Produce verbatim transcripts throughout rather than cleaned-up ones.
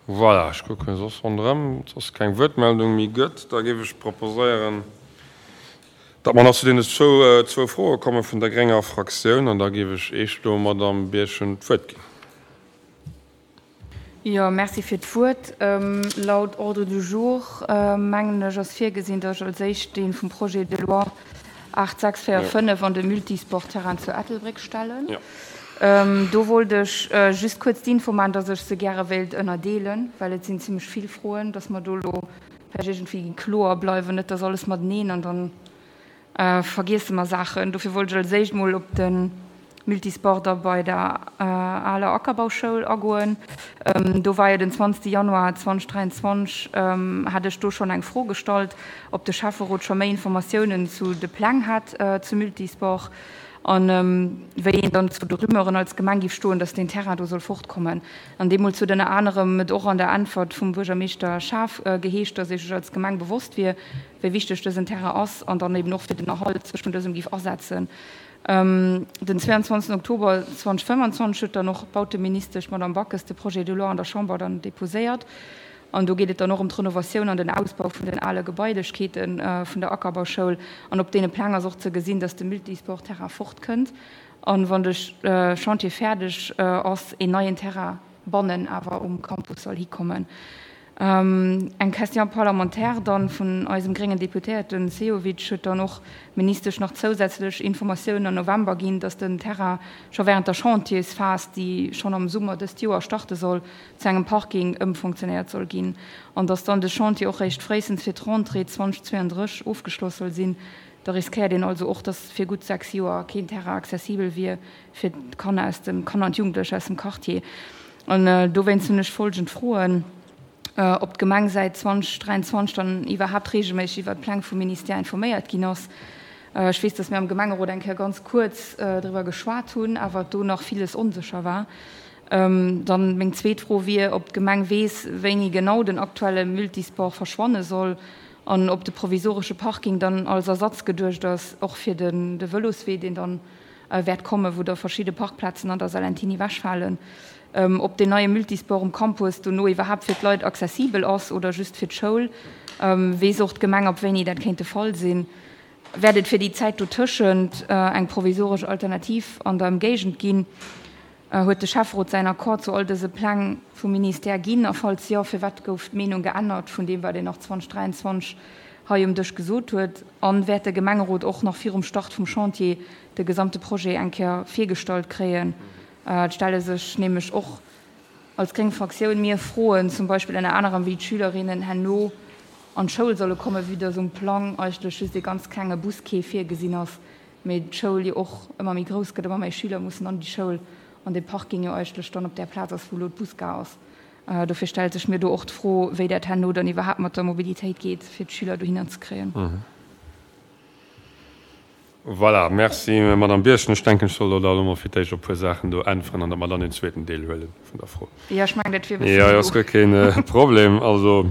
Voilà, ech kucken soss ronderëm, ob soss keng Wuertmeldung méi gëtt. Da géif ech proposéieren, datt mer nach zu deene zwou, zwou Froe komme vun der grénger Fraktioun. An da géif ech éischt elo Madamm Birchen d'Wuert ginn. Jo, merci fir d'Wuert. Laut Ordre du jour, mengen ech, ass virgesinn, datt ech als éischt dee vum Projet de loi aacht sechs véier fënnef an de Multisportterrain zu Ettelbréck stellen. Do wollt ech just kuerz d'Info maachen, dass ech se gäre wéilt ënnerdeelen, well et sinn zimlech vill Froen, dass mer do elo vläicht iergendwéi kloer bleiwen, net dass alles mateneen an da vergiesse mer Saachen. Dofir wollt ech als éischt mol op de Multisport da bei der aler Ackerbauschoul agoen. Do war jo den zwanzegste Januar zweitausenddräiundzwanzeg, hat ech do schonn eng Fro gestallt, ob de Schäfferot scho méi Informatiounen zu de Pläng hat zum Multisport an wéi een dann zu de Rumeuren als Gemeng géif stoen, dass deen Terrain do soll fortkommen. An deemools huet ënner anerem et och an der Äntwert vum Buergermeeschter Schaaf geheescht, dass ee sech als Gemeng bewosst wier, wéi wichteg dësen Terrain ass an dann eben och fir den Erhalt sech vun dësem géif asetzen. Den zweiundzwanzegsten Oktober zweitausendfënfundzwanzeg huet dann och d'Bauteministesch, d'Madame Backes, de Projet de loi an der Chamber dann deposéiert. An do geet et dann och ëm d'Renovatioun an den Ausbau vun den ale Gebailechkeete vun der Ackerbauschoul. An op deene Pläng ass och ze gesinn, dass de Multisportterrain fortkënnt an, wann de Chantier fäerdeg ass, een neien Terrain bannen awer um Campus soll hikommen. Eng Question parlementaire dann vun eisem gréngen Deputéierten Sehovic huet dann och d'Ministesch nach zousätzlech Informatiounen am November ginn, dass den Terrain scho während der Chantiersphas, déi schonn am Summer dëst Joer starte soll, zu engem Parking ëmfonctionéiert soll ginn an dass dann de Chantier och réischt fréistens fir d'Rentrée zweitausendzweiunddrësseg ofgeschloss soll sinn. Da riskéiert een also och, dass fir gutt sechs Joer keen Terrain accessibel wier fir d'Kanner aus dem, Kanner an d'Jugendlech aus dem Quartier. An dowéinst hunn ech folgend Froen. Ob d'Gemeng säit zweitausenddräiundzwanzeg dann iwwerhaapt reegelméisseg iwwert d'Pläng vum Ministère informéiert ginn ass. Ech weess, dass mir am Gemengerot eng Kéier ganz kuerz driwwer geschwat hunn, awer do nach villes onsécher war. Dann meng zweet Fro wier, ob d'Gemeng weess, wéini genau den aktuelle Multisport verschwanne soll an ob de provisoresche Parking dann als Ersatz geduecht ass, och fir de Vëloswee, deen dann wäert kommen, wou da verschidde Parkplazen an der Salentiny ewechfalen. Ob deen neie Multisport um Campus dono iwwerhaapt fir d'Leit accessibel ass oder just fir d'Schoul. Weess och d'Gemeng, ab wéini dat kéint de Fall sinn? Wäert et fir déi Zäit dotëschent eng provisoresch Alternativ an der Ëmgéigend ginn? Huet de Schäfferot säin Accord zu all dëse Pläng vum Ministère ginn? A falls jo, firwat gouf d'Meenung geännert vun deem, wat een nach zweitausenddräiundzwanzeg hei um Dësch gesot huet? A wäert de Gemengerot och nach virum Start vum Chantier de gesamte Projet eng Kéier virgestallt kréien? Et stelle sech nämlech och als gréng Fraktioun mir Froen, zum Beispill ënner anerem, wéi d'Schülerinnen herno an d'Schoul solle kommen, vue dass um Plang eigentlech just ee ganz klenge Busquai virgesinn ass, mee d'Schoul jo och ëmmer méi grouss gëtt, ëmmer méi Schüler mussen an déi Schoul an dee Parking jo eigentlech dann op där Plaz ass, wou elo d'Busgare ass. Dofir stellt sech mir do och d'Fro, wéi dat herno dann iwwerhaapt mat der Mobilitéit geet, fir d'Schüler dohinner ze kréien. Voilà, merci Madame Birchen. Ech denken, ech soll elo da elo mol fir d'éischt op e puer Saachen do äntweren an datt mer dann een zweeten Deel huele vun der Fro. Jo, ech mengen, dat wier e bësse Jo, jo, ass guer keen Problem. Also,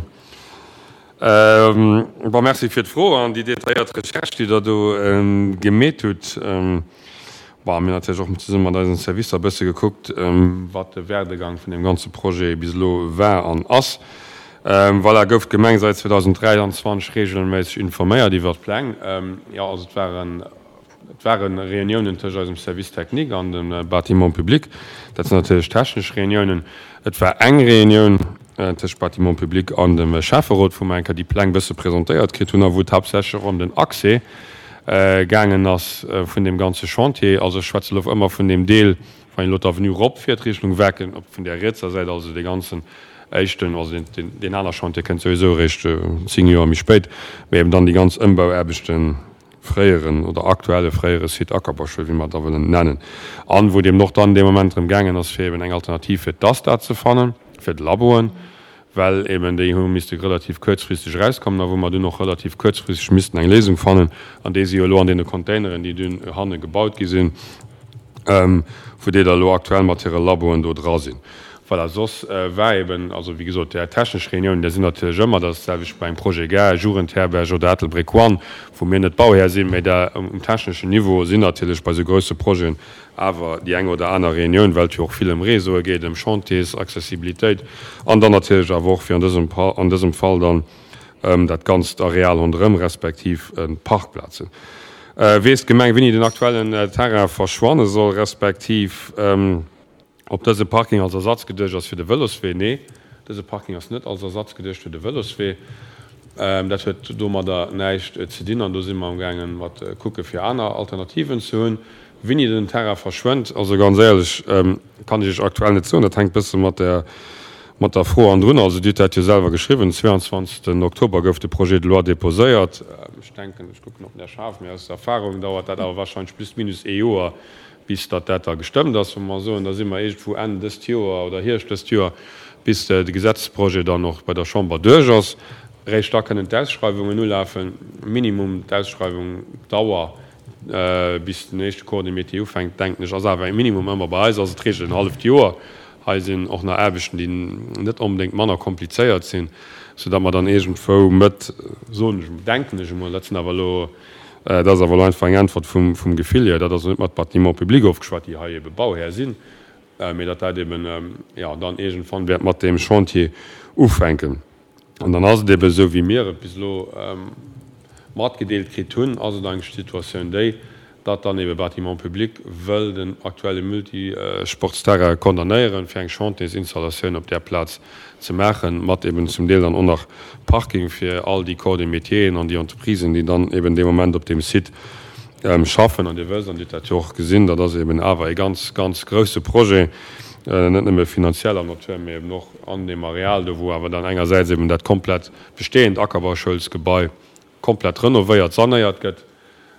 bon, merci fir d'Fro an déi detailléiert Recherche, déi Der do gemeet hutt. Bon, mir hunn natierlech och zesumme mat eisen Servicer e bësse gekuckt, wat de Werdegang vun deem ganze Projet bis elo war an ass. Voilà, gouf d'Gemeng säit zweitausenddräiundzwanzeg reegelméisseg informéiert iwwert d'Pläng? Jo, also et waren, et ware Reuniounen tëscht eisem Service technique an dem Bâtiment public. Dat sinn natierlech technesch Reuniounen. Et war eng Reunioun tëscht Bâtiment public an dem Schäfferot, wou mer eng Kéier déi Pläng bësse presentéiert kritt hunn a wou et haaptsächlech och ëm den Accès gaangen ass vun deem ganze Chantier. Also ech schwätze elo ëmmer vun deem Deel, wann een elo d'Avenue eropfiert Richtung Werken, op vun där rietser Säit, also dee ganzen éischten, also deen, deen aner Chantier kënnt souwisou eréischt zéng Joer méi spéit, mä eben dann déi ganz Ëmbauaarbechten, fréieren oder aktuelle fréiere Site Ackerbauschoul, wéi mer et da wëllen nennen, an wou et eben och dann dee Moment drëm gaangen ass, fir eben eng Alternativ fir d'ASTA ze fannen, fir d'Laboen, well eben déi hu misste relativ kuerzfristeg erauskommen a wou mer dunn och relativ kuerzfristeg missten eng Léisung fannen, an déi si jo elo an deene Containeren, déi dunn hanne gebaut gi sinn, wou déi da elo aktuell mat hire Laboen do dra sinn. Voilà, soss war eben, also wéi gesot, där technesch Reunioun, där sinn natierlech ëmmer, dat ass d'selwecht bei engem Projet Gare, Jugendherberg oder Ettelbréck One, wou mir net Bauhär sinn, mä där um techneschen Niveau sinn natierlech bei esou grousse Projeten awer déi eng oder aner Reunioun, well et jo och vill ëm Réseaue geet, ëm Chantiers, Accessibilitéit an dann natierlech awer och, wéi an dësem, an dësem Fall dann, ëm dat ganzt Areal ronderëm respektiv d'Parkplazen. Weess d'Gemeng, wéini den aktuellen Terrain verschwanne soll, respektiv ob dëse Parking als Ersatz geduecht ass fir de Vëloswee? Nee, dëse Parking ass net als Ersatz geduecht fir de Vëloswee. Dat huet domadder näischt ze dinn an do si mer amgaangen mat kucke fir aner Alternativen ze hunn. Wéini den Terrain verschwënnt, also ganz éierlech, kann ech Iech aktuell net soen. Dat hänkt bësse mat der mat der Fro andrun. Also Dir hutt dat jo selwer geschriwwen, den zweiundzwanzigsten Oktober gouf de Projet de loi déposéiert. Ech denken, ech kucken op den Här Schaaf, mee aus Erfahrung dauert dat awer wahrscheinlech plus minus ee Joer, bis datt dat da gestëmmt ass. Wa mer soen, da si mer iergendwou Enn dëst Joer oder Hierscht dëst Joer, bis de Gesetzesprojet dann och bei der Chamber duerch ass. Eréischt da kënnen d'Ausschreiwungen ulafen. Minimum d'Ausschreiwung, d'Dauer, bis den éischte Corps de métier ufänkt, denken ech, ass awer e Minimum ëmmer. Bei eis ass et d'Reegel en halleft Joer. Hei sinn och nach Aarbechten, déi net onbedéngt manner komplizéiert sinn, soudatt mer dann iergendwou Mëtt, soen ech, denken ech emol, dat sinn awer elo, dat ass awer elo einfach eng Äntwert vum, vum Gefill hier, dat ass net mat Bâtiments publics ofgeschwat, déi hei ebe Bauhär sinn, mee datt dat eben, jo, dann iergendwann wäert mat deem Chantier ufänken. An dann ass et eben esou, wéi mir et bis elo matgedeelt kritt hunn, ass et eigentlech d'Situatioun déi, datt dann ebe Bâtiments publics wëll den aktuelle Multisportsterrain condamnéieren, fir eng Chantiersinstallatioun op där Plaz ze maachen, mat eben zum Deel dann och nach Parking fir all déi Corps de métieren an déi Entreprisen, déi dann eben dee Moment op deem Site schaffen. An Dir wësst, an Dir hutt dat jo och gesinn, dat ass eben awer e ganz, ganz grouse Projet, net nëmme finanzieller Natur, mee eben och an deem Areal do, wou awer dann engersäits eben dat komplett bestehend Ackerbauschouls-Gebai komplett renovéiert, sanéiert gëtt,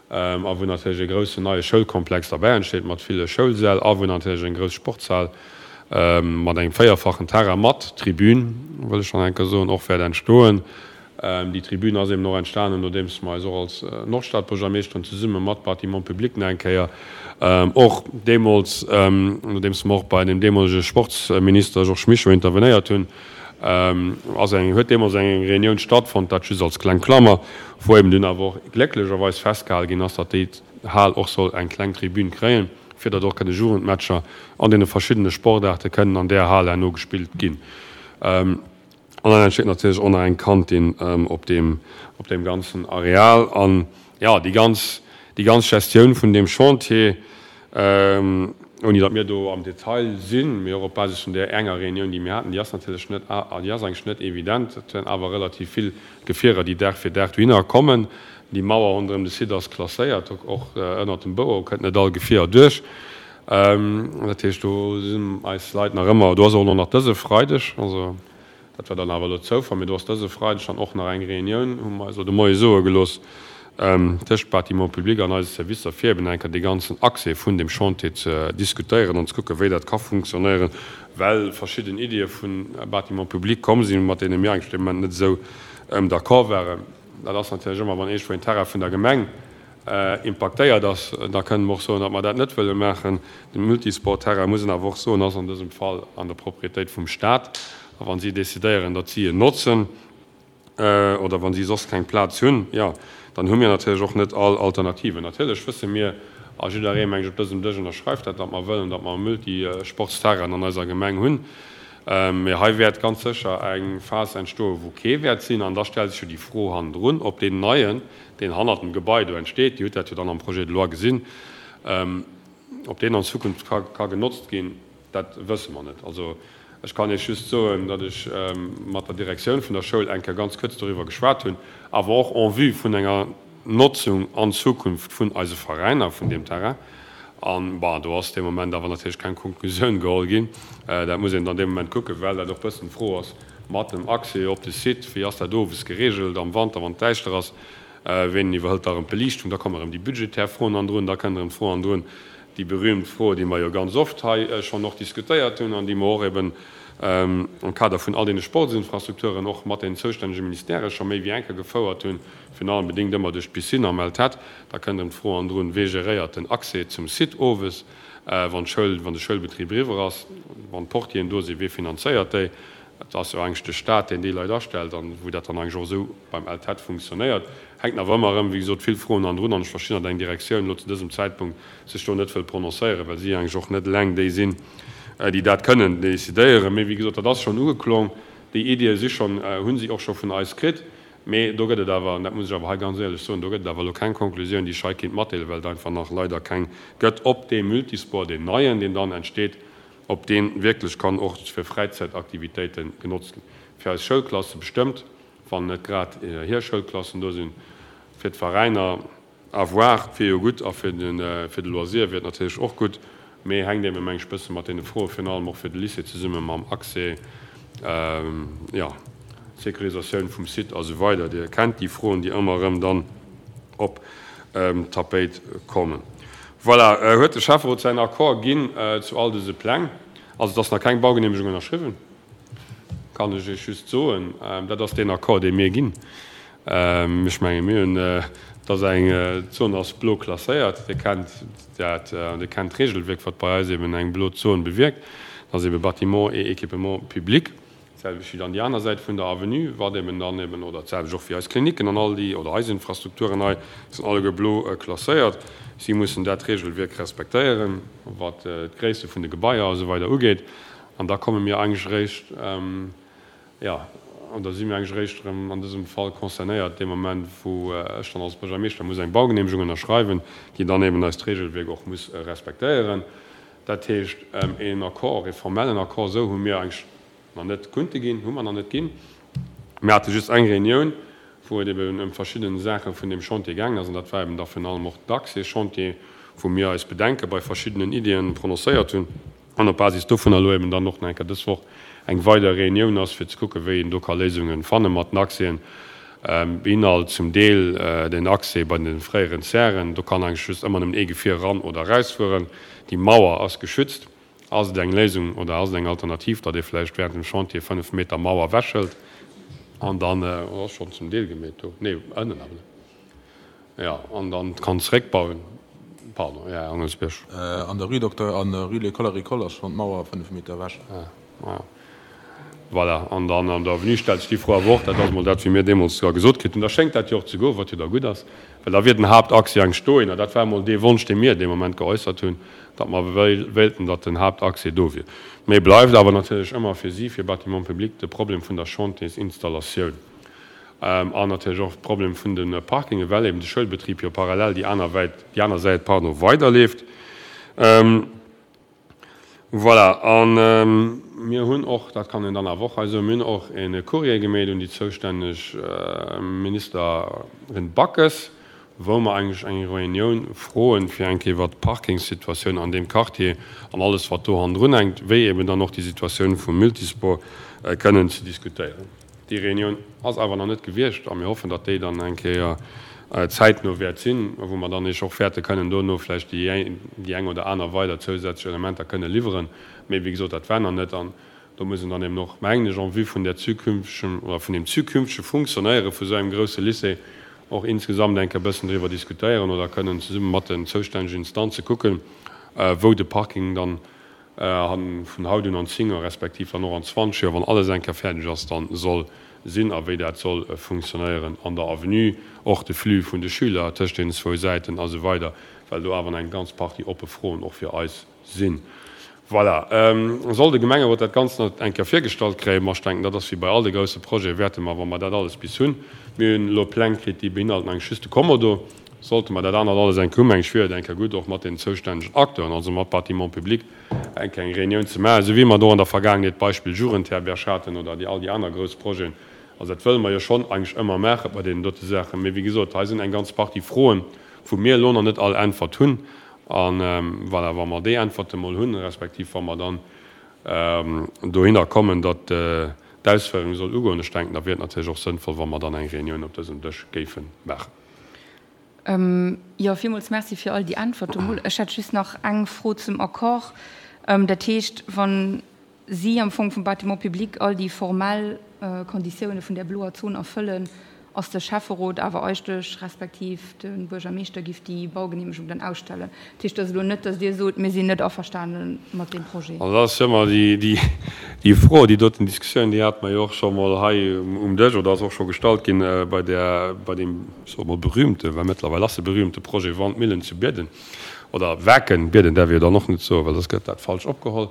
a wou natierlech e groussen neie Schoulkomplex derbäi entsteet mat ville Schoulsäll a wou natierlech eng grouss Sportshal mat engem véierfachen Terrain mat Tribün, wëll ech nach eng Kéier soen, och wäert entstoen. Déi Tribün ass eben och entstanen, nodeems mer eis och als Nordstadbuergermeeschteren zesumme mat Bâtiments publics nach eng Kéier och deemools, nodeems mer och bei dem deemolege Sportsminister Georges Mischo intervenéiert hunn, ass eng, huet deemools eng Reunioun stattfonnt, dat just als kleng Klammer, wou eben dunn awer och glécklecherweis festgehale ginn ass, datt déi Hal och soll eng kleng Tribün kréien, fir datt och kënne Jugendmatcher an deene verschiddene Sportaarte kënnen an där Hal herno gespillt ginn. An dann entsteet natierlech och nach eng Kantin op deem, op deem ganzen Areal. An, jo, déi ganz, déi ganz Gestioun vun deem Chantier, ouni datt mir do am Detail sinn, mee och op Basis vun där enger Reunioun, déi mir haten, déi ass natierlech net, déi ass eigentlech net evident. Et sinn awer relativ vill Gefierer, déi Dag fir Dag dohinner kommen. Déi Mauer ronderëm de Site ass klasséiert, och ënnert dem Bouer kënnt net all Gefier duerch. Dat heescht, do sinn eis Leit nach ëmmer, do ass och elo nach dëse Freideg, also dat war dann awer elo Zoufall, mee do ass dëse Freideg dann och nach eng Reunioun, hu mer eis elo de Moie soe gelooss, tëscht Bâtiments publics an eise Servicer, fir eben eng Kéier dee ganzen Accès vun deem Chantier ze diskutéieren an ze kucken, wéi dat ka funktionéieren, well verschidden Iddie vu Bâtiments publics komm sinn, mat deene mir eigentlech dee Moment net esou d'accord waren. Dat ass natierlech ëmmer, wann iergendwou een Terrain vun der Gemeng impaktéiert ass, da kënnen mer och soen, datt mer dat net wëlle maachen. De Multisportterrain, muss een awer och soen, ass an dësem Fall an der Propriétéit vum Stat. A wa si decidéieren, datt si en notzen, oder wa si soss keng Plaz hunn, jo, dann hu mir natierlech och net all Alternativen. Natierlech wësse mir, a jidderee, meng ech, op dësem Dësch ënnerschreift dat, datt mer wëllen, datt mer e Multisportsterrain an eiser Gemeng hunn. Mee hei wäert ganz sécher eng Phas entstoen, wou kee wäert sinn. An da stellt sech jo déi Fro hannendrun, ob deen neien, deen hannert dem Gebai do entsteet, Dir hutt dat jo dann am Projet de loi gesinn, ob deen an Zukunft ka ka genotzt ginn, dat wësse mer net. Also ech kann Iech just soen, datt ech mat der Direktioun vun der Schoul eng Kéier ganz kuerz doriwwer geschwat hunn, awer och en vue vun enger Notzung an Zukunft vun eise Veräiner vun deem Terrain. An, bon, do ass dee Moment awer natierlech keng Konklusioun geholl ginn. Dat muss een dann dee Moment kucken, well dat och e bëssen d'Fro ass mat dem Accès op de Site. Wéi ass dat owes geregelt am Wanter, wann et däischter ass? Ween iwwerhëlt da erëm d'Beliichtung? Da kommen erëm déi budgetär Froen andrun. Da kënnt erëm d'Fro andrun, déi berühmt Fro, déi mer jo ganz oft hei schonn och diskutéiert hunn an déi mer och eben am Kader vun all deene Sportsinfrastrukturen och mat den zoustännege Ministèrë scho méi wéi eng Kéier gefouert hunn, virun allem bedéngt ëmmer duerch d'Piscine am LTEtt. Da kënnt erëm d'Fro andrun, Wee geréiert den Accès zum Site owes, wann d'Schoul, wann de Schoulbetrib eriwwer ass, wann d'Portieren do sinn, wee finanzéiert déi? Et ass jo eigentlech de Stat, deen déi Leit astellt an wou dat dann eigentlech och esou beim LTEtt funktionéiert. Hänken awer ëmmer erëm, wéi gesot, vill Froen andrun an ech verstinn, datt eng Direktioun elo zu dësem Zäitpunkt sech do net wëll prononcéieren, well si eigentlech och net eleng déi sinn, déi dat kënnen decidéieren. Mee wéi gesot, dat ass schonn ugeklong, déi Iddie si schonn, hu si och scho vun eis kritt. Mee do gëtt et awer, an dat muss ech awer hei ganz éierlech soen, do gëtt et awer elo keng Konklusioun, déi ech hei kéint matdeelen, well et einfach nach leider keng gëtt, ob dee Multisport, deen neien, deen dann entsteet, ob dee wierklech kann och fir Fräizäitaktivitéite genotzt ginn. Fir eis Schoulklasse bestëmmt, wann net grad hir Schoulklassen do sinn. Fir d'Veräiner, à voir, et wier jo gutt a fir de Loisir wier et natierlech och gutt, mee hänkt eeben, meng ech, bësse mat deene Froe virun allem och fir de Lycée zesumme mam Accès, jo, Sécurisatioun vum Site a sou weider. Dir kennt déi Froen, déi ëmmer erëm dann op d'Tapéit kommen. Voilà, huet de Schäfferot säin Accord ginn zu all dëse Pläng. Also et ass nach keng Baugenehmegung ënnerschriwwen, kann ech Iech just soen. Dat ass deen Accord, dee mir ginn. Ech menge mir hunn, et ass eng, d'Zon ass blo klasséiert. Dir kennt dat an Dir kennt d'Regelwierk, wat bei eis eben eng blo Zon bewierkt. Dat ass ebe Bâtiments et équipements publics. D'selwecht wéi dann déi aner Säit vun der Avenue, wat eben dann eben, oder d'selwecht och wéi eis Klinicken an all déi, oder eis Infrastrukturen hei, sinn alleguer blo klasséiert. Si mussen dat Regelwierk respektéieren, wat d'Gréisste vun de Gebaier a sou weider ugeet. An da komme mir eigentlech eréischt, jo, an da si mir eigentlech eréischt erëm an dësem Fall concernéiert dee Moment, wou ech dann als Buergermeeschter muss eng Baugenehmegung ënnerschreiwen, déi dann eben eist Regelwierk och muss respektéieren. Dat heescht, een Accord, ee formellen Accord, esou hu mir eigentlech nach net kunnte ginn, hu mer nach net ginn. Mir hate just eng Reunioun, wou et eben ëm verschidde Saache vun deem Chantier gaangen ass, an dat war eben da virun allem och d'Accès-Chantier, wou mir eis Bedenke bei verschiddenen Iddien prononcéiert hunn, an op Basis dovunner elo eben dann och nach eng Kéier dës Woch eng weider Reunioun ass, fir ze kucken, wéi een do ka Léisunge fanne mat den Accèsen. Beinhalt zum Deel den Accès bei de fréieren Zären, do kann eigentlech just ëmmer nëmmen ee Gefier eran oder erausfueren. Déi Mauer ass geschützt. Ass et eng Léisung oder ass et eng Alternativ, datt ee vläicht während dem Chantier fënnef Meter Mauer ewechhëlt an dann, oder ass schonn zum Deel gemeet do, nee, ënnen awer net, jo, an dann kann zeréckbauen? Pardon, Här Angelsbierg. An der Rue Docteur, an der Rue L'école Agricole ass schonn d'Mauer fënnef Meter ewech. Ah, ah. Voilà, an dann an der Avenue stellt sech déi Fro awer och, dat ass emol dat, wéi mir deemools sogar gesot kritt hunn, da schéngt dat jo och ze goen, wat jo da gutt ass, well da wier den Haaptachs jo eng stoen. A dat war emol dee Wonsch, dee mir dee Moment geäussert hunn, datt mer wéilten, datt den Haaptaccès do wier. Mee bleift awer natierlech ëmmer fir si, fir Bâtiments publics, de Problem vun der Chantiersinstallatioun an natierlech och de Problem vun de Parkingen, well eben de Schoulbetrib jo parallel déi aner Wäit, déi aner Säit, pardon, weiderleeft. Voilà, a mir hunn och, dat kann een dann awer och hei soen, mir hunn och e Courrier gemeet un déi zoustänneg Ministerin Backes, wou mer eigentlech eng Reunioun froen, fir eng Kéier iwwert d'Parkingssituatioun an deem Quartier an alles, wat do hannendrun hänkt, wéi eben dann och déi Situatioun vum Multisport, kënnen ze diskutéieren. Déi Reunioun ass awer nach net gewiescht a mir hoffen, datt déi dann eng Kéier zäitno wäert sinn, wou mer dann Iech och wäerte kënnen dono vläicht déi eng oder aner weider zousätzlech Elementer kënne liwweren. Mee wéi gesot, dat war nach net. An do muss een dann eben och, mengen ech, en vue vun där zukünftigen oder vun deem zukünftege Funktionéiere vu esou engem grouse Lycée och insgesamt eng Kéier e bëssen driwwer diskutéieren oder kënnen zesumme mat den zoustännegen Instanze kucken, wou de Parking dann vun haut un an zéng Joer respektiv dann och an zwanzeg Joer, wann alles eng Kéier fäerdeg ass, dann soll sinn a wéi dat soll funktionéieren an der Avenue, och de Flux vun de Schüler tëscht deenen zwou Säiten a sou weider, well do awer nach eng ganz Partie oppe Froen och fir eis sinn. Voilà. Soll de Gemengerot dat Ganzt nach eng Kéier virgestallt kréien? Ma ech denken, dat ass wéi bei all de grousse Projete, wäerte mer, wa mer dat alles bis hunn, mir hunn elo Pläng kritt, déi beinhalten eigentlech just de Kommodo, sollte mer dat anert alles eng Kéier hunn, meng ech, wier et eng Kéier gutt, och mat den zoustännegen Acteuren, also mat Bâtiments publics, eng Kéier eng Reunioun ze maachen, esou wéi mer do an der Vergaangenheet d'Beispill Jugendherberg haten oder déi all déi aner grouss Projeten. Also dat wëlle mer jo schonn eigentlech ëmmer maache bei deenen dote Saachen. Mee wéi gesot, hei sinn eng ganz Partie Froen, wou mir elo nach net all Äntwert hunn. A voilà, wa mer déi Äntwerte mol hunn, respektiv wa mer dann dohinner kommen, datt d'Ausféierung soll ugoen, ech denken, da wier et natierlech och sënnvoll, wa mer dann eng Reunioun op dësem Dësch géife maachen. Jo, villmools Merci fir all déi Äntwerte mol. Ech hätt just nach eng Fro zum Accord. Dat heescht, wann si am Fong vum Bâtiment public all déi formell Konditioune vun där bloer Zon erfëllen, ass de Schäfferot awer eigentlech, respektiv de Buergermeeschter giff déi Baugenehmegung dann ausstellen. Dat heescht, et ass elo net, datt Dir sot, mir sinn net averstane mat deem Projet. Also dat ass jo ëmmer déi Fro, déi doten Diskussioun, déi hate mer jo och scho mol hei um Dësch oder ass och scho gestallt ginn bei där, bei deem, ech soe mol berühmte, well mëttlerweil ass e berühmte Projet Wandmillen zu Bierden oder Waarken, Bierden däerf ee jo dann och net soen, well soss gëtt dat falsch opgeholl.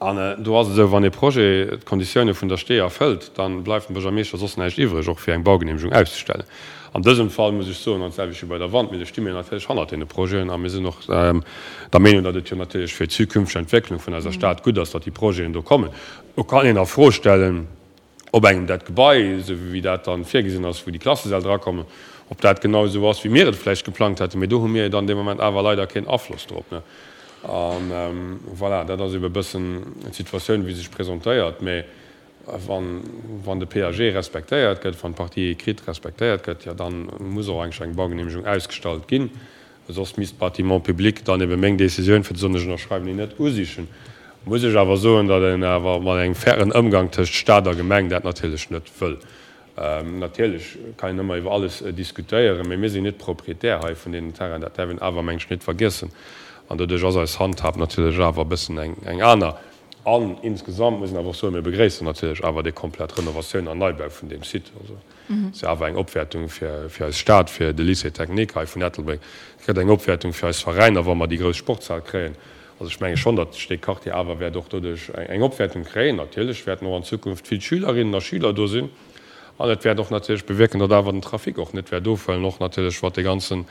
An do ass et esou, wann ee Projet d'Konditioune vun der Stee erfëllt, da bleift dem Buergermeeschter soss näischt iwwreg, och fir eng Baugenehmegung auszestellen. An dësem Fall muss ech soen, an d'selwecht wéi bei der Wandmille, sti mir natierlech hannert deene Projeten a mir sinn och der Meenung, datt et jo natierlech fir d'zukünfteg Entwécklung vun eiser Stad gutt ass, datt déi Projeten do kommen. Do kann een a Fro stellen, ob engem dat Gebai, esou wéi dat dann virgesinn ass, wou déi Klassesäll drakommen, ob dat genau esou ass, wéi mir et vläicht geplangt hätten. Mee do hu mir jo dann dee Moment awer leider keen Afloss drop. A voilà, dat ass ebe bëssen d'Situatioun, wéi se sech presentéiert. Mee wann, wann de P A G respektéiert gëtt, wann d'Partie écrite respektéiert gëtt, jo dann muss och eigentlech eng Baugenehmegung ausgestallt ginn. Soss misst d'Bâtiments publics dann ebe meng Décisioun, fir ze soen, ech ënnerschreiwen déi net, usichen. Muss ech awer soen, datt een awer mat engem fairen Ëmgang tëscht Stat a Gemeng dat natierlech net wëll. Natierlech kann een ëmmer iwwer alles diskutéieren, mee mir sinn net Proprietär hei vun deenen Terrainen. Dat däerf een awer, meng ech, net vergiessen. An doduerch ass eis Handhab natierlech awer e bëssen eng aner. An insgesamt muss een awer och soen, mir begréissen natierlech awer déi komplett Renovatioun an Neibau vun deem Site. Also et ass jo awer eng Opwäertung fir eis Stad, fir de Lycée technique hei vun Ettelbréck. Et gëtt eng Opwäertung fir eis Veräiner, wa mer déi grouss Sportshal kréien. Also ech menge schonn, datt dee Quartier awer wäert och doduerch eng Opwäertung kréien. Natierlech wäerten och an Zukunft vill Schülerinnen a Schüler do sinn. An et wäert och natierlech bewierken, datt awer den Trafic och net wäert ofhuelen, och natierlech wat dee ganzen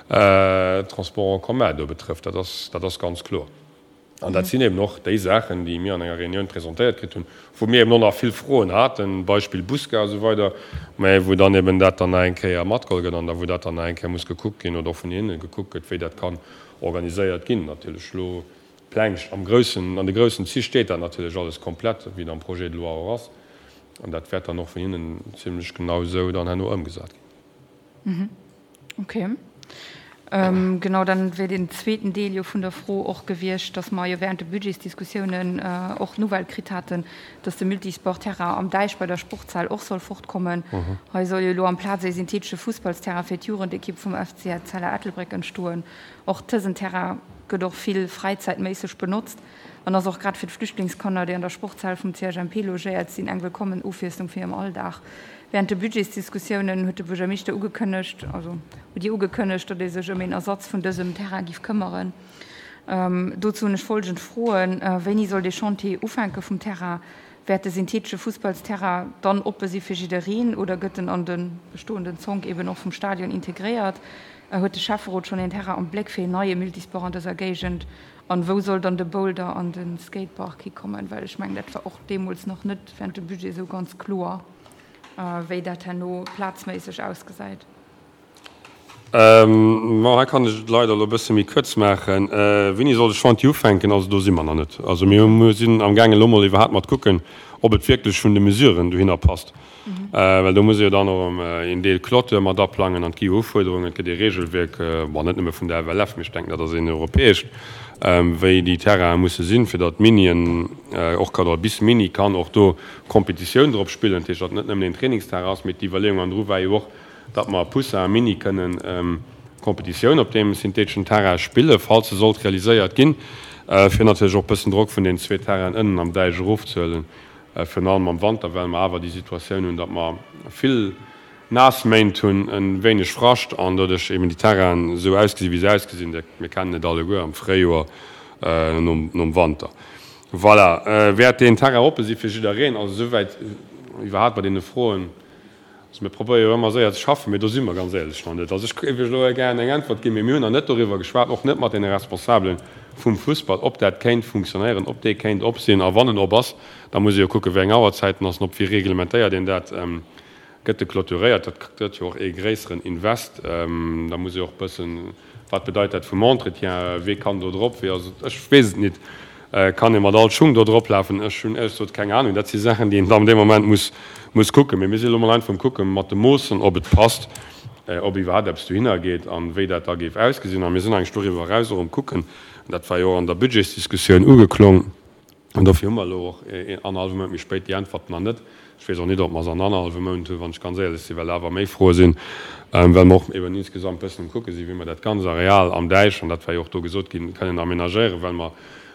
Transport en commun do betrëfft. Dat ass, dat ass ganz kloer. An dat sinn eben och déi Saachen, déi mir an enger Reunioun presentéiert kritt hunn, wou mir eben och nach vill Froen haten, Beispill Busgare a sou weider, mä wou dann eben dat dann nach eng Kéier matgeholl gëtt an da wou dat dann nach eng Kéier muss gekuckt ginn oder och vun hinne gekuckt gëtt, wéi dat kann organiséiert ginn. Natierlech elo Pläng am groussen, an de groussen Zich steet dat natierlech alles komplett, wéi et am Projet de loi och ass. An dat wäert dann och vun hinnen zimlech genau esou dann herno ëmgesat ginn. Okay. Genau, dann wär den zweeten Deel jo vun der Fro och gewiescht, dass mer jo während de Budgetsdiskussiounen och d'Nouvelle kritt haten, dass de Multisportterrain am Däich bei der Sportshal och soll fortkommen. Hei soll jo elo amplaz ee synthetesche Fussballsterrain fir d'Jugendekipp vum F C Etzella Ettelbréck entstoen. Och dësen Terrain gëtt och vill fräizäitméisseg benotzt an ass och grad fir d'Flüchtlingskanner, déi an der Sportshal vum C H M P logéiert sinn, eng wëllkommen Ofwiesslung fir hirem Alldag. Während de Budgetsdiskussiounen huet de Buergermeeschter ugekënnegt, also hutt Dir ugekënnegt, datt ee sech ëm een Ersatz vun dësem Terrain giff këmmeren. Dozou hunn ech folgend Froen, Wéini soll dee Chantier ufänke vum Terrain? Wäert de synthetesche Fussballsterrain dann oppe si fir jiddereen oder gëtt en an de bestoenden Zonk eben och vum Stadion integréiert? Huet de Schäfferot schonn een Terrain am Bléck fir een neie Multisport an dëser Géigend? An wou soll dann de Boulder an de Skatepark hikommen? Well ech mengen, dat war och deemools nach net während dem Budget esou ganz kloer, wéi dat herno plazméisseg ausgesäit. Bon, hei kann ech et leider elo e bësse méi kuerz maachen. Wéini soll de Chantier ufänken? Also do si mer nach net. Also mir sinn amgaangen elo mol iwwerhaapt mat kucken, ob et wierklech vun de Mesuren dohinner passt. Well do muss ee jo dann och erëm een Deel Clôture mat aplangen an et gi jo Ufuerderungen, et gëtt ee Regelwierk, bon net nëmme vun der F L F, mee ech denken dat ass een europäescht, wéi déi Terrainen musse sinn, fir datt d'Minien och kann, oder bis Mini kann och do Competitioun drop spillen. Dat heescht, datt et net nëmmen een Trainingsterrain ass, mee d'Iwwerleeung andru war jo och, datt mer Poussin a Mini kënnen Competitioun op deem syntheteschen Terrain spillen, falls se sollt realiséiert ginn, fir natierlech och e bëssen Drock vun deenen zwee Terrainen ënnen am Däich erofzehuelen. Virun allem am Wanter, well mer awer déi Situatioun hunn, datt mer vill naass Méint hunn, e wéineg Frascht an doduerch eben déi Terrainen esou ausgesinn, wéi se ausgesinn. Mir kennen et alleguer am Fréijoer nom Wanter. Voilà. Wäert deen Terrain oppe si fir jiddereen? Also esouwäit iwwerhaapt bei deene Froen. Also mir probéiere jo ëmmer séier ze schaffen, mee do si mer ganz éierlech nach net. Also ech géif Iech elo gären eng Äntwert ginn, mee mir hunn nach net doriwwer geschwat, och net mat deene Responsabele vum Fussball, ob dat kéint funktionéieren, ob dee kéint op sinn. A wann en op ass, da muss ee jo kucken, wéi eng Auerzäiten ass en op, wéi reglementéiert een dat, gëtt e clôturéiert, dat gëtt jo och ee gréisseren Invest. Da muss ee och bëssen, wat bedeit dat vum Entretien, wee kann do drop, wéi ass et, ech weess et nit. Kann ee mat all Schung do drop lafen? Ech hunn éierlech gesot keng Ahnung. Dat si Saachen, déi een dann dee Moment muss, muss kucken. Mee mir si elo mol einfach um Kucken mat de Moossen, ob et passt, ob iwwerhaapt eppes dohinner geet an wéi dat da géif ausgesinn. A mir sinn eigentlech doriwwer eraus och um Kucken, dat war jo och an der Budgetsdiskussioun ugeklong, An dofir hu mer elo och een annerhallwe Mount méi spéit déi Äntwerten nach net. Ech weess och net, ob mer se an annerhallwe Mount hunn, wann ech ganz éierlech sinn, well awer méi Froe sinn, well mer och eben insgesamt e bëssen um Kucke sinn, wéi mer dat ganz Areal am Däich, an dat war jo och do gesot ginn, kënnen aménagéieren, well mer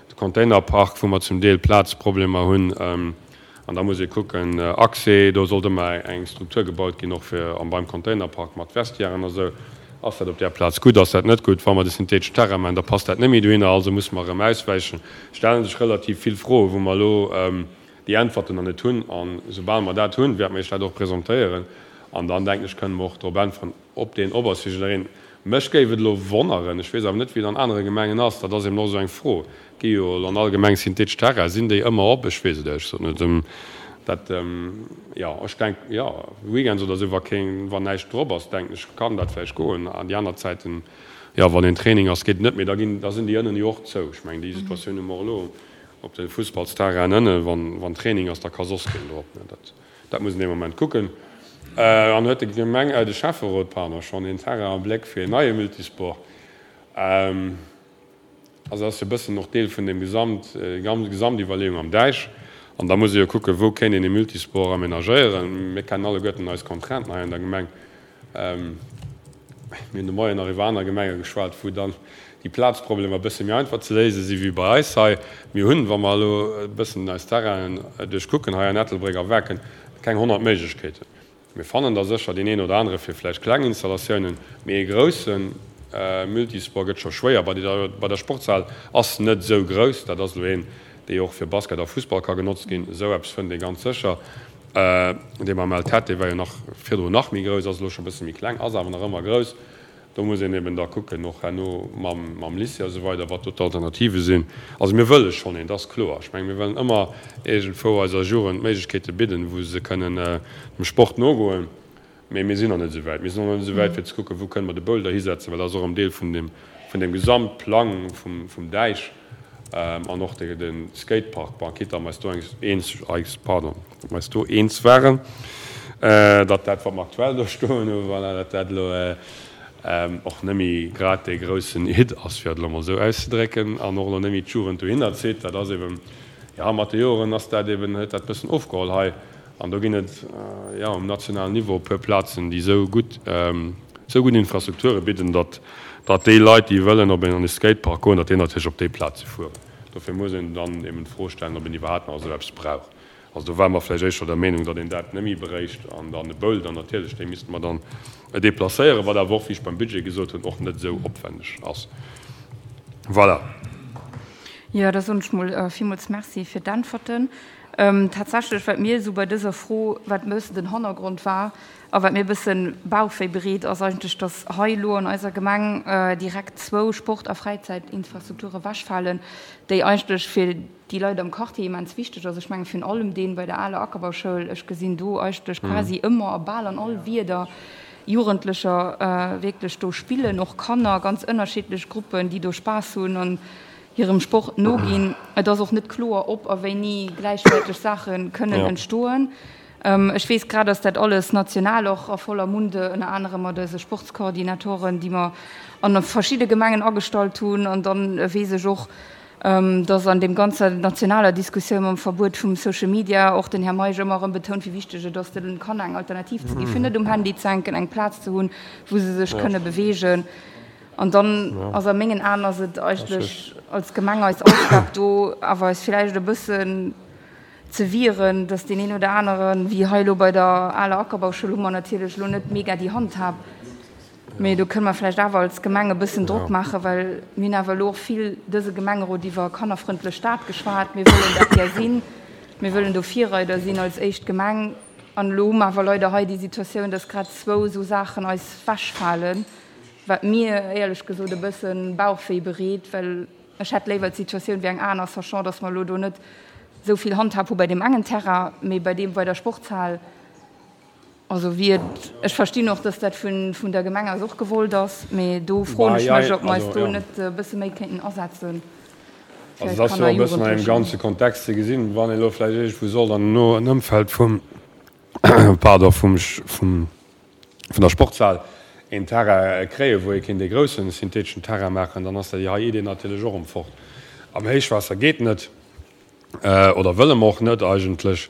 de Containerpark, wou mer zum Deel Plazproblemer hunn, an da muss ee kucken, Accès, do sollt ëmmer eng Struktur gebaut ginn, och fir beim Containerpark mat Vestiairen a sou. Ass dat op där Plaz gutt, ass dat net gutt? Wa mer de syntheteschen Terrain maachen, da passt dat net méi dohinner, also musse mer erëm auswäichen. Stelle sech relativ vill Froen, wou mer elo déi Äntwerten nach net hunn. A soubal mer dat hunn, wäerte mer Iech dat och presentéieren. An dann, denken ech, kënne mer och drop äntweren, ob deen op ass fir jiddereen. Mech géif et elo wonneren, ech weess awer net, wéi et an anere Gemengen ass, dat ass eben och esou eng Fro, gi jo elo an all Gemeng synthetesch Terrainen, sinn déi ëmmer op? Ech weess et éierlech gesot net. Dat, jo, ech denk, jo, weekends oder esou, wa keen, wann näischt drop ass, denken ech, kann dat vläicht goen. An déi aner Zäiten, jo, wann een Training ass, geet et net méi. Da ginn, da sinn déi ënnen jo och zou. Ech mengen, déi Situatioun hu mer och elo op de Fussballsterrainen ënnen. Wann, wann Training ass, da ka soss keen drop, ne. Dat, dat muss een dee Moment kucken. An huet de Gemeng, de Schäfferot, pardon, schonn een Terrain am Bléck fir een neie Multisport? Also ass jo e bëssen och Deel vun deem Gesamt, Gesamtiwwerleeung am Däich. An da muss ee jo kucken, wou kéint een ee Multisport aménagéieren. Mir kennen alleguerten eis Contrainten hei an der Gemeng. Mir hunn de Moien nach iwwer aner Gemenge geschwat, wou dann déi Plazproblemer e bësse méi einfach ze léise si wéi bei eis hei. Mir hunn, wa mer elo e bëssen eis Terrainen duerchkucken hei an Ettelbréck a Waarken, keng honnert Méiglechkeeten. Mir fannen da sécher deen een oder anere fir vläicht kleng Installatiounen, mee ee grousse Multisport gëtt scho schwéier. Bei der Sportshal ass net esou grouss, dat ass elo een, dee och fir Basket a Fussball ka genotzt ginn. Esou eppes fënnt ee ganz sécher. Dee mam L T dee war jo nach virdrun nach méi grouss, ass elo scho e bësse méi kleng, ass awer nach ëmmer grouss. Do muss een eben da kucken, och herno mam Lycée a sou weider, wat do d'Alternative sinn. Also mir wëlle schonn een, dat ass kloer. Ech menge mir wëllen ëmmer iergendwou eiser Jugend Méiglechkeete bidden, wou se kënnen dem Sport nogoen. Mee mir sinn nach net esou wäit. Mir sinn och nach net esou wäit, fir ze kucken, wou kënne mer de Boulder hisetzen, well dat ass och en Deel vun deem, vun deem Gesamtplang vum, vum Däich an och de, de Skatepark. Bon, quitte datt mer eis do eens, eis, pardon, datt mer eis do eens waren, datt dat, wat mer aktuell do stoen hunn, voilà, datt dat elo och net méi grad dee groussen Hit ass, fir et elo mol esou auszedrécken, an och elo net méi d'Jugend dohinner zitt. Dat ass eben, jo, mat de Joren ass dat eben, huet dat e bëssen ofgeholl hei. An do ginn et, jo, um nationalen Niveau e puer Plazen, déi esou gutt, esou gutt Infrastrukture bidden, datt, datt déi Leit, déi wëllen op een, an e Skatepark goen, datt déi natierlech op déi Plaze fueren. Dofir muss een dann eben d'Fro stellen, ob een iwwerhaapt nach esou eppes brauch. Also do ware mer vläicht éischter der Meenung, datt een dat net méi bréicht. An dann de Boulder natierlech, dee misste mer dann deplacéieren, wat awer och, wéi ech beim Budget gesot hunn, och net esou opwänneg ass. Voilà. Jo, da soen ech mol villmools Merci fir d'Äntwerten. Tatsächlech, wat mir esou bei dëser Fro, wat e bëssen den Hannergrond war a wat mir e bësse Bauchwéi bereet, ass eigentlech, datt hei elo an eiser Gemeng direkt zwou Sport a Fräizäitinfrastrukture wechfalen, déi eigentlech fir déi Leit am Quartier immens wichteg ass. Ech menge virun allem dee bei der aler Ackerbauschoul. Ech gesinn do eigentlech quasi ëmmer a bal an all Wieder Jugendlecher wierklech do spillen, och Kanner, ganz ënnerschiddlech Gruppen, déi do Spaass hunn an hirem Sport noginn. Et ass och net kloer, ob a wéini gläichwäerteg Saache kënnen entstoen. Ech weess grad, dass dat alles national och a voller Munde, ënner anerem mat eise Sportskoordinatoren, déi mer an verschidde Gemengen agestallt hunn, an dann weess ech och, dass an deem ganzer nationaler Diskussioun mam Verbuet vum Social Media och den Här Meisch ëmmer erëm betount, wéi wichteg et ass, de Kanner eng Alternativ ze ginn, fir net um Handy ze hänken, eng Plaz ze hunn, wou se sech kënne beweegen. An dann ass a mengen Aen ass et eigentlech als Gemeng eis Aufgab, do awer eis villäicht e bëssen ze wieren, dass deen een oder aneren, wéi hei elo bei der aler Ackerbauschoul, hu mer natierlech elo net mega déi Handhab, Mee do kënne mer vläicht awer als Gemeng e bëssen Drock maachen, well mir hunn awer elo och vill dëse Gemengerot iwwer kannerfrëndlech Stad geschwat. Mir wëllen dat gär sinn. Mir wëllen do Virreider sinn als éischt Gemeng. An elo hu mer awer leider hei déi Situatioun, dass grad zwou esou Saachen eis wechfalen, wat mir éierlech gesot e bësse Bauchwéi bereet, well ech hätt léiwer d'Situatioun wéi eng aner, sachant dass mer elo do net esou vill Handhab hu bei deem engen Terrain, mee bei deem bei der Sportshal. Also wéi et, ech verstinn och, dass dat vun, vun der Gemeng aus och gewollt ass, mee do froen ech mech, ob mer eis do net e bësse méi kéinten asetzen fir eis Kanner a Jugendlechen. Also et ass jo e bëssen an engem ganze Kontext ze gesinn, wann ee elo vläicht iergendwou sollt an en Ëmfeld vum, pardon, vum, vum, vun der Sportshal een Terrain kréien, wou ee kéint ee groussen syntheteschen Terrain maachen, dann ass déi hei Idee natierlech och erëm fort. Am Héichwaasser geet net. Oder wëlle mer och net eigentlech.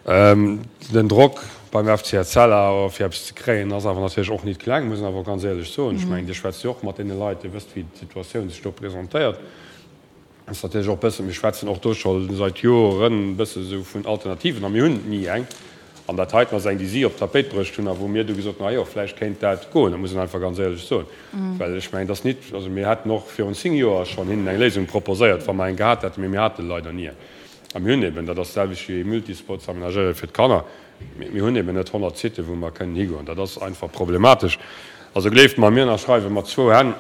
Den Drock beim F C Etzella, fir eppes ze kréien, ass awer natierlech och nit kleng, muss een awer och ganz éierlech soen. Ech mengen, Dir schwätzt jo och mat deene Leit, Dir wësst, wéi d'Situatioun sech do presentéiert. Ass natierlech och e bëssen, mir schwätzen och do scho seit Joren e bësse sou vun Alternativen a mir hunn ni eng. An dat heiten ass eng, déi si op d'Tapéit bruecht hunn a wou mir du gesot hunn, ah jo, vläicht kéint dat goen. Dat muss een einfach ganz éierlech soen. Well ech mengen, et ass nit, also mir hätten och virun zéng Joer schonn hinnen eng Léisung proposéiert, wa mer eng gehat hätten, mee mir hate leider ni eng. A mir hunn eben, dat ass d'selwecht wéi Multisport ze amenagéiere fir d'Kanner, mir hunn eben net honnert Siten, wou mer kënnen higoen. Dat ass einfach problematesch. Also gleeft mer, mir ënnerschreiwe mat zwou Hänn,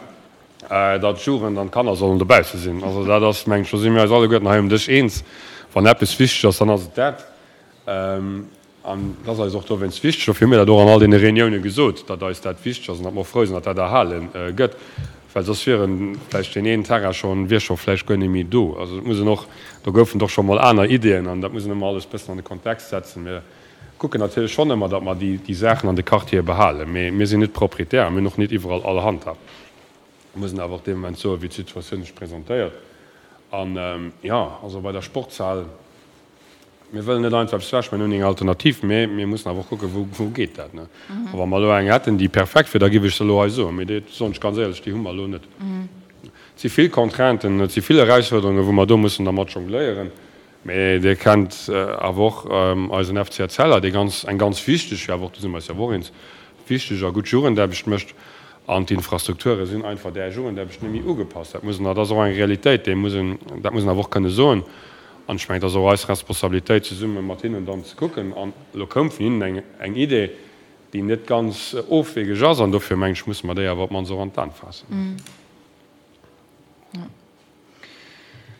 datt d'Jugend an d'Kanner sollen dobausse sinn. Also dat ass, mengen ech, do si mir eis alleguerten hei um Dësch eens. Wann eppes wichteg ass, dann ass et dat. An et ass eis och dowéinst wichteg, dofir hu mir dat och an all deene Reunioune gesot, datt eis dat wichteg ass an datt mer och frou sinn, datt dat erhale gëtt, well soss wiere vläicht deen een Terrain schonn, wier scho vläicht guer net méi do. Also et muss een och, do goufen et och scho mol aner Ideeën an dat muss een ëmmer alles bëssen an de Kontext setzen. Mir kucken natierlech schonn ëmmer, datt mer déi, déi Saachen an de Quartiere behalen, mee mir sinn net Proprietär a mir hunn och net iwwerall all Handhab. Mir mussen awer och dee Moment soen, wéi d'Situatioun sech presentéiert. An, jo, also bei der Sportshal, mir wëllen net einfach eppes wechmaachen, mir hunn eng Alternativ, mee mir mussen awer och kucken, wou, wou geet dat, ne? A wa mer elo eng hätten, déi perfekt wier, da géif ech se elo hei soen, mee déi, soen ech ganz éierlech, déi hu mer elo net. Et si vill Contrainten, et si vill Erausfuerderungen, wou mer do mussen dermat jongléieren. Mee Dir kennt awer och eisen F C Etzella, dee ganz, eng ganz wichteg, jo awer och, do si mer eis jo awer och eens, wichteg a gutt Jugendaarbecht mécht. An d'Infrastrukture sinn einfach där Jugendaarbecht net méi ugepasst. Dat muss een, dat ass och eng Realitéit, déi muss een, dat muss een awer och kënne soen. An ech mengen, et ass och eis Responsabilitéit, zesumme mat hinnen dann ze kucken. An elo koum vun hinnen eng, eng Idee, déi net ganz ofwegeg ass. An dofir, mengen ech, musse mer déi awer op d'mannst och an d'An faassen.